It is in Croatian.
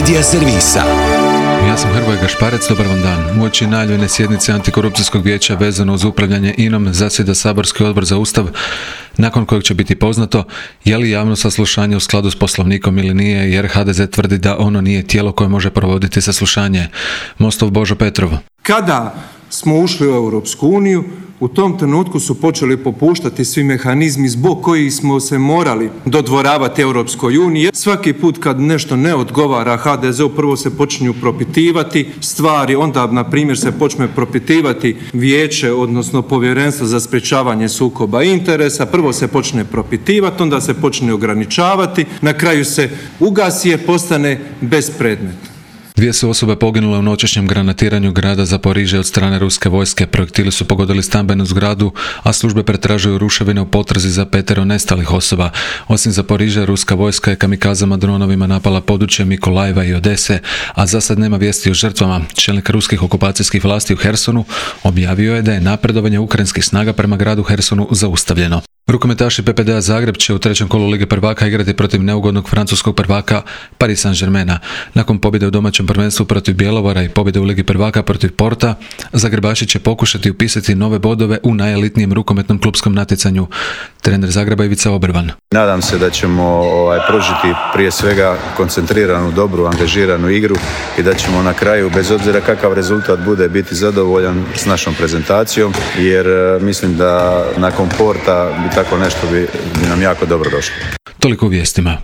Medija servisa. Ja sam Hrvoje Gašparec, dobar vam dan. Uoči najavljene sjednice Antikorupcijskog vijeća vezano uz upravljanje INA-om zasjeda saborski odbor za Ustav, nakon kojeg će biti poznato je li javno saslušanje u skladu s poslovnikom ili nije, jer HDZ tvrdi da ono nije tijelo koje može provoditi saslušanje. Mostov Božo Petrov. Kada smo ušli u Europsku uniju, u tom trenutku su počeli popuštati svi mehanizmi zbog kojih smo se morali dodvoravati Europskoj uniji. Svaki put kad nešto ne odgovara HDZ-u, prvo se počinju propitivati stvari, onda na primjer se počne propitivati vijeće, odnosno povjerenstvo za sprječavanje sukoba interesa. Prvo se počne propitivati, onda se počne ograničavati, na kraju se ugasi jer postane bespredmetno. 2 su osobe poginule u noćešnjem granatiranju grada Zaporižje od strane ruske vojske. Projektili su pogodili stambenu zgradu, a službe pretražuju ruševine u potrazi za 5 nestalih osoba. Osim Zaporižja, ruska vojska je kamikazama dronovima napala područje Mikolajeva i Odese, a za sad nema vijesti o žrtvama. Čelnik ruskih okupacijskih vlasti u Hersonu objavio je da je napredovanje ukrajinskih snaga prema gradu Hersonu zaustavljeno. Rukometaši PPD-a Zagreb će u 3. kolu Lige prvaka igrati protiv neugodnog francuskog prvaka Paris Saint-Germaina. Nakon pobjede u domaćem prvenstvu protiv Bjelovara i pobjede u Ligi prvaka protiv Porta, Zagrebaši će pokušati upisati nove bodove u najelitnijem rukometnom klupskom natjecanju. Trener Zagreba Ivica Obrvan. Nadam se da ćemo pružiti prije svega koncentriranu, dobru, angažiranu igru i da ćemo na kraju, bez obzira kakav rezultat bude, biti zadovoljan s našom prezentacijom, jer mislim da nakon Porta bi tako nešto bi nam jako dobro došlo. Toliko u vijestima.